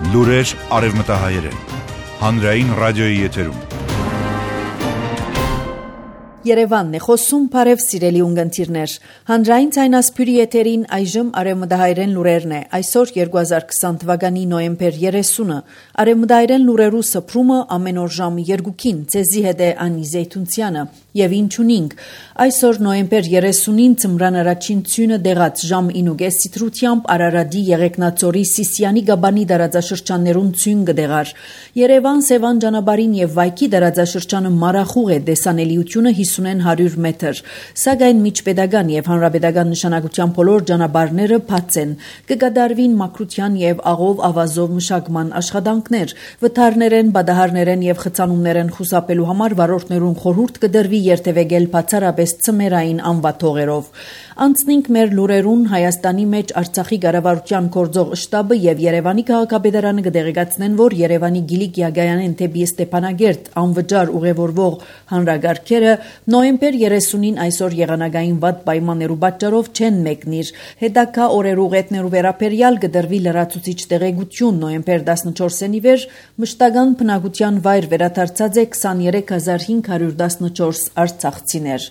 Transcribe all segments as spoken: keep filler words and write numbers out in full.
Լուրեր արևմտահայերեն։ Հանրային ռադիոյի եթերում։ Երևանն է խոսում, բարև սիրելի ունգընտիրներ։ Հանրային ցայնասփյուրի եթերին այժմ արևմտահայերեն լուրերն է։ Այսօր երկու հազար քսան թվականի նոյեմբեր երեսունը։ Արևմտահայերեն լուրերու սփռումը ամեն օր ժամը երկուքին ցեզի հետ է Անի Զեյթունցյանը եւ ինչունինք։ Այսօր նոյեմբեր երեսունին ծմրան առաջին ցյունը դեղած ժամ ինուգես սիտրությամբ Արարատի Եղեգնաձորի Սիսիանի Գաբանի դարաձաշրջաններուն ցյուն կդեղար։ Երևան Սևան ճանապարհին եւ Վայքի դարաձաշրջանը մարախուղ է դեսանելիությունը հիսուն հարյուր մետր, սակայն միջպետական եւ հանրապետական նշանակության բոլոր ճանապարհները բաց են։ Կկատարվին մաքրության եւ աղով ավազով մշակման աշխատանքներ, վթարներեն, բադահարներեն եւ խցանումներեն խուսափելու համար վարորդներուն խորհուրդ կդրվի երթևեկել բացառապես ծմերային անվաթողերով։ Անցնենք մեր լուրերուն Հայաստանի մեջ Արցախի կառավարության գործող շտաբը եւ Երևանի քաղաքապետարանը կդեղեկացնեն, որ Երևանի Գիլիկ Յագայանեն թեպի Ստեփանագերտ անվճար ուղևորվող հանրագարքերը նոյեմբեր երեսունին այսօր եղանակային վատ պայմաններու պատճառով չեն մեկնիր։ Հետագա օրերու ղետներու վերաբերյալ կդրվի լրացուցիչ տեղեկություն նոյեմբեր տասնչորսին ի վեր մշտական բնակության վայր վերադարձած է քսաներեք հազար հինգ հարյուր տասնչորս արցախցիներ։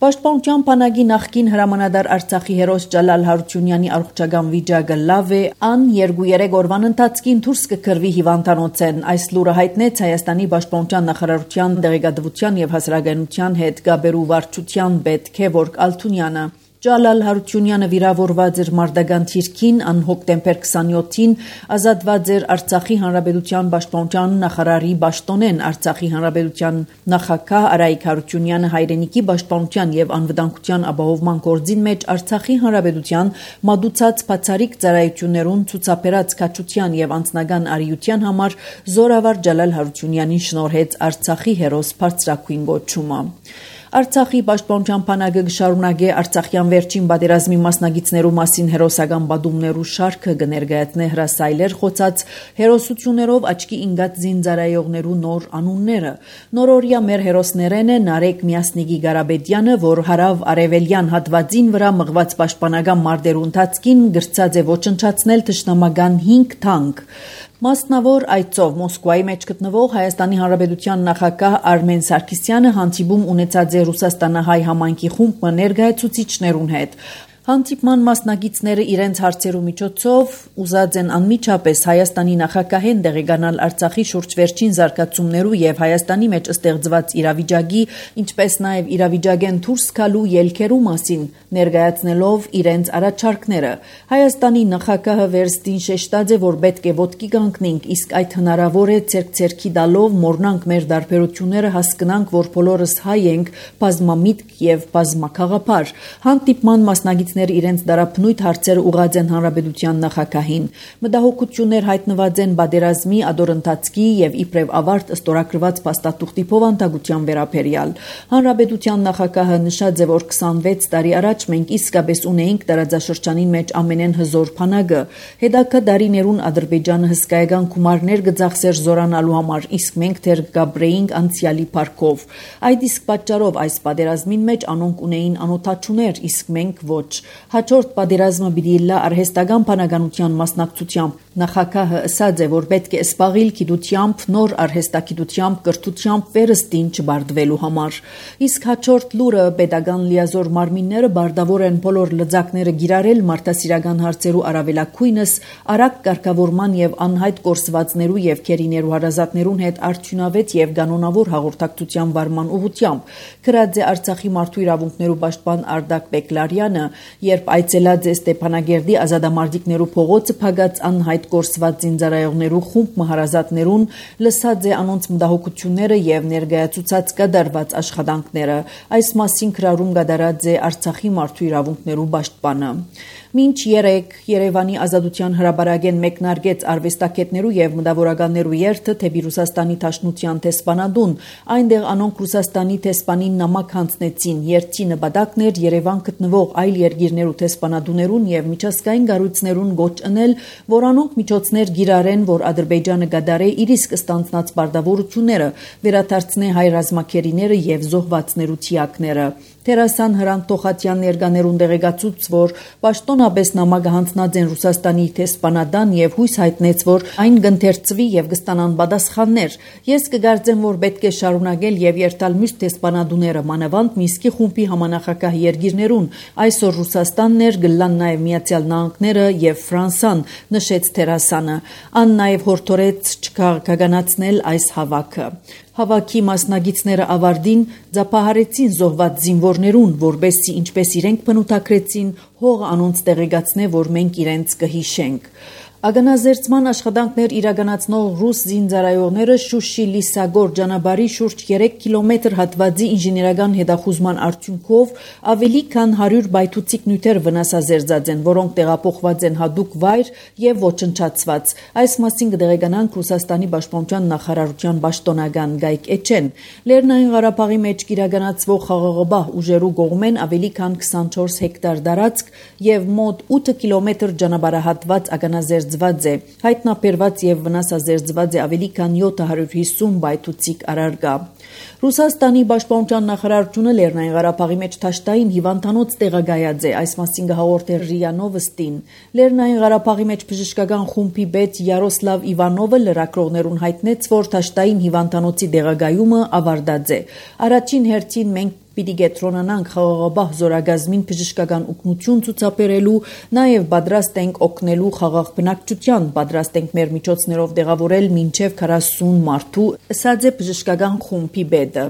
Պաշտպանության բանակի նախկին հրամանատար Արցախի հերոս Ջալալ Հարությունյանի առողջական վիճակը լավ է, ան երկու-երեք օրվան ընթացքին դուրս կգրվի հիվանդանոցեն։ Այս լուրը հայտնեց Հայաստանի Պաշտպանության նախարարության դեղեկատվության եւ հասարակայնության հետ գաբերու վարչության պետ Քևորգ Ալթունյանը։ Ջալալ Հարությունյանը վիրավորված էր մարտական թիրքին, ան հոկտեմբեր քսանյոթին ազատված էր Արցախի Հանրապետության Պաշտպանության նախարարի պաշտոնեն։ Արցախի Հանրապետության նախագահ Արայիկ Հարությունյանը հայրենիքի պաշտպանության եւ անվտանգության ապահովման գործին մեջ Արցախի Հանրապետության մատուցած բացառիկ ծառայություններուն ցուցաբերած քաջության եւ անձնական արիության համար զորավար Ջալալ Հարությունյանին շնորհեց Արցախի հերոս բարձրակույն գոչումը։ Արցախի պաշտպանության բանակը կշարունակի Արցախյան վերջին պատերազմի մասնակիցներու մասին հերոսական պատումներու շարքը կներկայացնի հրասայլեր խոցած հերոսություններով աչքի ընկած զինծառայողներու նոր անունները։ Նորօրյա մեր հերոսներեն է Նարեկ Միասնիկի Ղարաբեդյանը, որ հարավ արևելյան հատվածին վրա մղված պաշտպանական մարտերու ընթացքին գրծած է ոչնչացնել թշնամական հինգ թանկ։ Մասնավոր այցով Մոսկվայի մեջ գտնվող Հայաստանի Հանրապետության նախագահ Արմեն Սարգսյանը հանդիպում ունեցած է Ռուսաստանահայ համայնքի խումբ ներկայացուցիչներուն հետ։ Հանդիպման մասնակիցները իրենց հարցերու միջոցով ուզած են անմիջապես Հայաստանի նախագահեն դեղեկանալ Արցախի շուրջ վերջին զարգացումներու եւ Հայաստանի մեջ ստեղծված իրավիճակի, ինչպես նաեւ իրավիճակեն դուրս գալու ելքերու մասին ներկայացնելով իրենց առաջարկները։ Հայաստանի նախագահը վերստին շեշտած է, որ պետք է ոտքի կանգնենք, իսկ այդ հնարավոր է ցերկ-ցերքի տալով մորնանք մեր դարբերությունները, հասկանանք, որ բոլորս հայ ենք, բազմամիտք եւ բազմակաղապար։ Հանդիպման մասնակից իրենց դարաբնույթ հարցեր ուղղած են հանրապետության նախագահին։ Մտահոգություններ հայտնված են պատերազմի ադորընթացքի եւ իբրև ավարտ ստորագրված փաստաթուղթի փոխանցության վերաբերյալ։ Հանրապետության նախագահը նշած է, որ քսանվեց տարի առաջ մենք իսկապես ունեինք տարածաշրջանին մեջ ամենեն հզոր բանակը։ Հետագա դարիներուն Ադրբեջանը հսկայական գումարներ կձախսեր զորանալու համար, իսկ մենք դեռ գաբրեինք անցյալի փառքով։ Այդ իսկ պատճառով այս պատերազմին մեջ անոնք ունեին անօթաչուներ, իսկ մենք ոչ։ Հաջորդ պատերազմը պիտի լա արհեստական բանականության մասնակցությամբ։ Նախագահը ասաց է, որ պետք է սպաղիլ գիտությամբ, նոր արհեստագիտությամբ, կրթությամբ վերստին չբարդվելու համար։ Իսկ հաջորդ լուրը պետական լիազոր մարմինները բարդավոր են բոլոր լծակները գիրարել մարդասիրական հարցերու առավելակույնս արագ կարգավորման եւ անհայտ կորսվածներու եւ քերիներու հարազատներուն հետ արդյունավետ եւ կանոնավոր հաղորդակցության վարման ուղղությամբ։ Գրած է Արցախի մարդու իրավունքներու պաշտպան Արդակ Բեկլարյանը, երբ այցելած է Ստեփանագերդի ազատամարտիկներու փողոցը փակած անհայտ կորսված զինծառայողներու խումբ մահարազատներուն, լսած է անոնց մտահոգությունները եւ ներկայացուցած կատարված աշխատանքները։ Այս մասին քրարում կատարած է Արցախի մարդու իրավունքներու պաշտպանը։ Մինչ երեք Երևանի ազատության հրապարակեն մեկնարկեց արվեստագետներու եւ մտավորականներու երթը թեպի Ռուսաստանի Դաշնության տեսփանադուն, այնտեղ անոնք Ռուսաստանի տեսփանին նամակ հանձնեցին։ Երթի նպատակն էր Երևան գտնվող այլ երկիրներու տեսփանադուներուն եւ միջազգային կառույցներուն գոչ ընել, որ անոնք միջոցներ գիրարեն, որ Ադրբեջանը կդարե իր իսկ ստանձնած բարդավորությունները, վերադարձնե հայ ռազմակերիները եւ զոհվածներու թիակները։ Տերասան Հրանտ Տոխատյան ներկաներուն դեղեկացուց, որ պաշտոն ընդհանրապես նամակը հանձնած են Ռուսաստանի դեսպանատան եւ հույս հայտնեց, որ այն կընթերցվի եւ կստանան պատասխաններ։ Ես կգարձեմ, որ պետք է շարունակել եւ երթալ մյուս դեսպանատուները, մանավանդ Մինսկի խումբի համանախագահ երկիրներուն։ Այսօր Ռուսաստանն էր, գլան նաեւ Միացյալ Նահանգները եւ Ֆրանսան, նշեց Թերասանը։ Ան նաեւ հորդորեց չքաղաքականացնել այս հավաքը։ Հավաքի մասնագետները ավարտին ձապահարեցին զոհված զինվորներուն, որբեսի ինչպես իրենք բնութագրեցին, հողը անոնց տեղեկացնե, որ մենք իրենց կհիշենք։ Ագանազերծման աշխատանքներ իրականացնող ռուս զինծառայողները Շուշի-Լիսագոր ճանապարհի շուրջ երեք կիլոմետր հատվածի ինժեներական հետախուզման արդյունքով ավելի քան հարյուր բայթուցիկ նյութեր վնասազերծած են, որոնք տեղափոխված են հատուկ վայր եւ ոչնչացված։ Այս մասին կդեղեկանանք Ռուսաստանի պաշտպանության նախարարության պաշտոնական Գայք Էչեն։ Լեռնային Ղարաբաղի մեջ իրականացվող խաղաղապահ ուժերու կողմեն ավելի քան քսանչորս հեկտար տարածք եւ մոտ ութ կիլոմետր ճանապարհահատված ագանազերծ հայտնաբերված եւ վնասազերծված է ավելի քան յոթ հարյուր հիսուն բայթուցիկ առարկա։ Ռուսաստանի պաշտպանության նախարարությունը Լեռնային Ղարաբաղի մեջ թաշտային հիվանդանոց տեղակայած է, այս մասին կհաղորդի ՌԻԱ Նովոստին։ Լեռնային Ղարաբաղի մեջ բժշկական խումբի պետ Յարոսլավ Իվանովը լրագրողներուն հայտնեց, որ թաշտային հիվանդանոցի տեղակայումը ավարտած է։ Առաջին հերթին մենք պիտի գետրոնանանք խաղաղապահ զորագազմին բժշկական օգնություն ցուցաբերելու, նաև պատրաստ ենք օգնելու խաղաղ բնակչության, պատրաստ ենք մեր միջոցներով տեղավորել մինչև քառասուն մարդու, ասաց է բժշկական խումբի պետը։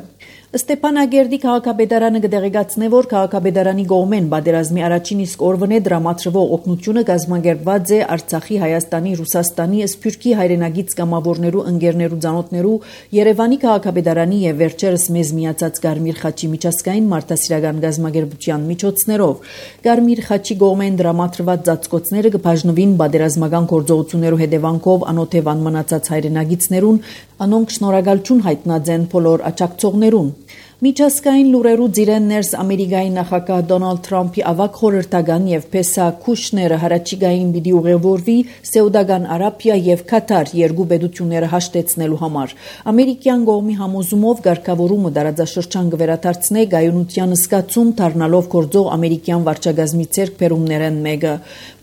Ստեփանագերդի քաղաքապետարանը կդեղեկացնե, որ քաղաքապետարանի կողմեն պատերազմի առաջին իսկ օրվան է դրամատրվող օգնությունը կազմակերպված է Արցախի, Հայաստանի, Ռուսաստանի, Սփյուռքի հայրենագից կամավորներու, ընկերներու, ծանոթներու, Երևանի քաղաքապետարանի եւ վերջերս մեզ միացած Կարմիր խաչի միջազգային մարդասիրական կազմակերպության միջոցներով։ Կարմիր խաչի կողմեն դրամատրված ծածկոցները կբաժնվին պատերազմական գործողություններու հետևանքով անօթևան մնացած հայրենագիցներուն, անոնք շնորհակալություն հայտնած են բոլոր աջակցողներուն։ Միջազգային լուրերու ծիրեն ներս Ամերիկայի նախագահ Դոնալդ Թրամփի ավագ խորհրդական եւ Փեսա Քուշները հարաճիգային պիտի ուղևորվի Սեուդական Արաբիա եւ Կատար երկու պետությունները հաշտեցնելու համար։ Ամերիկյան կողմի համոզումով ղեկավարումը դարաձաշրջան կվերադարձնե գայունության զգացում դառնալով գործող ամերիկյան վարչագազմի ձեռքբերումներն մեկը։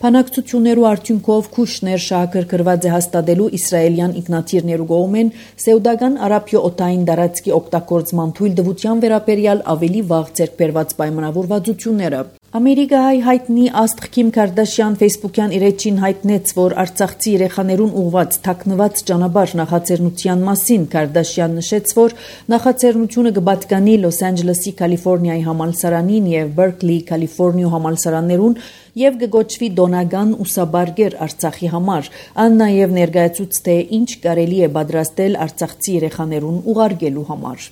Բանակցություններու արդյունքով Քուշներ շահագրգռված է հաստատելու իսրայելյան ինքնաթիռներու կողմեն Սեուդական Արաբիա օտային տարածքի օգտագործման թույլտվության վերաբերյալ ավելի վաղ ձեռքբերված պայմանավորվածությունները։ Ամերիկայի հայտնի աստղ Քիմ Քարդաշյան Facebook-յան իր էջին հայտնեց, որ արցախցի երեխաներուն ուղված թաքնված ճանապարհ նախաձեռնության մասին Քարդաշյան նշեց, որ նախաձեռնությունը կպատկանի Լոս Անջելեսի Կալիֆոռնիայի համալսարանին եւ Բերքլի Կալիֆոռնիա համալսարաններուն եւ կգոչվի դոնական ուսաբարգեր Արցախի համար։ Ան նաեւ ներկայացուց թե ինչ կարելի է պատրաստել արցախցի երեխաներուն ուղարկելու համար։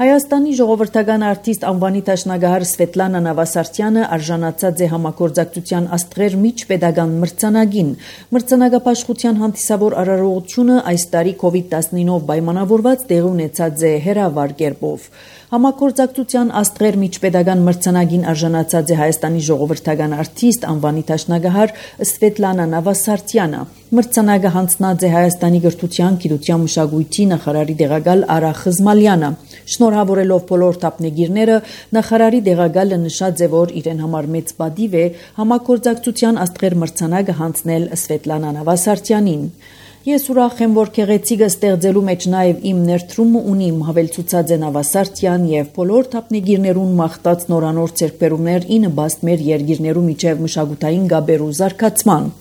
Հայաստանի ժողովրդական արտիստ անվանի տաշնագահար Սվետլանա Նավասարդյանը արժանացած է համագործակցության աստղեր միջպետական մրցանակին։ Մրցանակապաշխության հանդիսավոր արարողությունը այս տարի կովիդ տասնինով պայմանավորված տեղի ունեցած է հերավար կերպով։ Համագործակցության աստղեր միջպետական մրցանակին արժանացած է Հայաստանի ժողովրդական արտիստ անվանի տաշնագահար Սվետլանա Նավասարդյանը։ Մրցանակը հանձնած է Հայաստանի գրթության, գիտության, մշակույթի նախարարի տեղակալ Արա Խզմալյանը։ Շնորհավորելով բոլոր թափնեգիրները, նախարարի տեղակալը նշած է, որ իրեն համար մեծ պատիվ է համագործակցության աստղեր մրցանակը հանձնել Սվետլանա Նավասարդյանին։ Ես ուրախ եմ, որ քեղեցիկը ստեղծելու մեջ նաև իմ ներդրումը ունիմ, հավելցուցած է Նավասարդյան եւ բոլոր թափնեգիրներուն մաղթած նորանոր ձեռքբերումներ ի նպաստ մեր երկիրներու միջև մշակութային գաբերու զարգացման։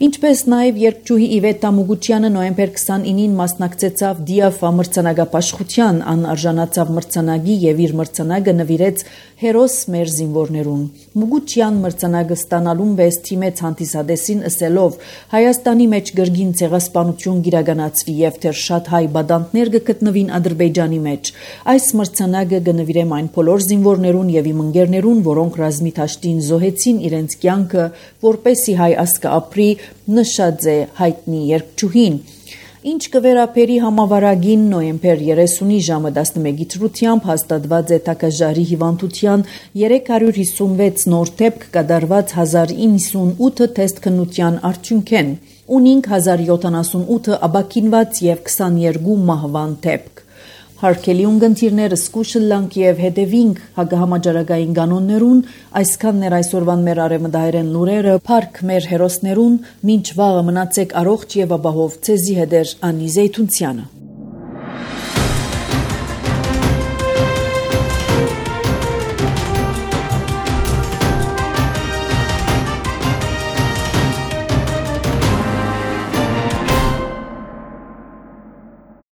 Ինչպես նաև երգչուհի Իվետ Տամուգուչյանը նոյեմբեր քսանինին մասնակցեցավ Դիաֆա մրցանակապաշխության, ան արժանացավ մրցանակի եւ իր մրցանակը նվիրեց հերոս մեր զինվորներուն։ Մուգուչյան մրցանակը ստանալուն վես թիմեց հանդիսադեսին ըսելով Հայաստանի մեջ գրգին ցեղասպանություն գիրականացվի եւ թեր շատ հայ բադանտներ կգտնվին Ադրբեջանի մեջ։ Այս մրցանակը կնվիրեմ այն բոլոր զինվորներուն եւ իմ ընկերներուն, որոնք ռազմի դաշտին զոհեցին իրենց կյանքը, որպեսի հայ ազգը ապրի, նշած է հայտնի երգչուհին։ Ինչ կվերապերի համավարագին նոյեմբեր երեսունի ժամը տասնմեկի թրությամբ հաստատված է տակաժարի հիվանդության երեք հարյուր հիսունվեց նոր դեպք կատարված հազար իննսունութ թեստ քննության արդյունքեն, ունինք հազար յոթանասունութ աբակինված եւ քսաներկու մահվան դեպք։ Հարկելի ունգընտիրները սկուշը լանք եւ հետևինք հագահամաճարակային կանոններուն, այսքան ներ այսօրվան մեր արևմտահայերեն լուրերը, փառք մեր հերոսներուն, մինչ վաղը մնացեք առողջ եւ ապահով, ցեզի հետեր Անի Զեյթունցյանը։